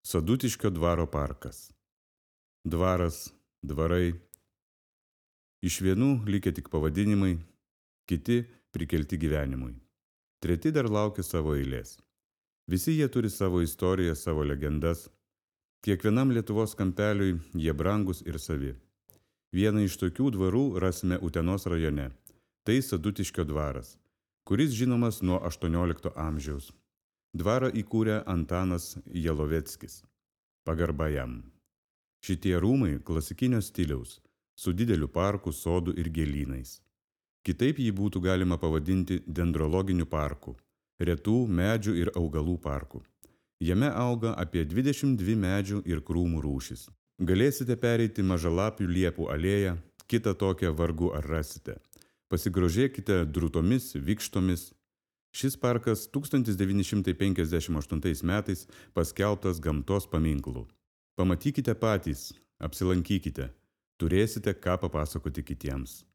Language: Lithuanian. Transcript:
Sadutiškio dvaro parkas. Dvaras, dvarai. Iš vienų likę tik pavadinimai, kiti prikelti gyvenimui. Treti dar laukia savo eilės. Visi jie turi savo istoriją, savo legendas. Kiekvienam Lietuvos kampeliui jie brangus ir savi. Vieną iš tokių dvarų rasime Utenos rajone. Tai Sadutiškio dvaras, kuris žinomas nuo 18 amžiaus. Dvarą įkūrė Antanas Jaloveckis. Pagarba jam. Šitie rūmai klasikinio stiliaus, su dideliu parku, sodu ir gėlynais. Kitaip jį būtų galima pavadinti dendrologiniu parku, retų medžių ir augalų parku. Jame auga apie 22 medžių ir krūmų rūšis. Galėsite pereiti mažalapių liepų alėją, kitą tokią vargu ar rasite. Pasigrožėkite drūtomis, vikštomis. Šis parkas 1958 metais paskelbtas gamtos paminklu. Pamatykite patys, apsilankykite, turėsite ką papasakoti kitiems.